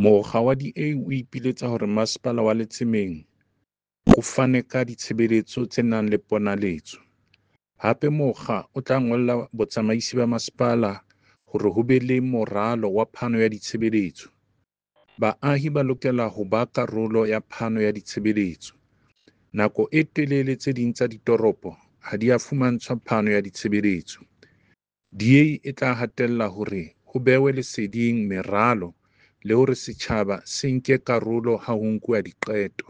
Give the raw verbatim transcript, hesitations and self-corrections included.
Mokga wa D A o ipiletsa hore Masepala wa Letsemeng o fane ka ditshebeletso tse nang le ponaletso. Hape mokga o tla ngolla botsamaisi ba masepala hore ho be le moralo wa phano ya ditshebeletso. Baahi ba lokela ho ba karolo ya phano ya ditshebeletso. Nako e telele tse ding tsa ditoropo ha di a fumantshwa phano ya ditshebeletso. D A e tla hatella hore ho behwe leseding meralo le hore setjhaba se nke karolo ha ho nkuwa diqeto.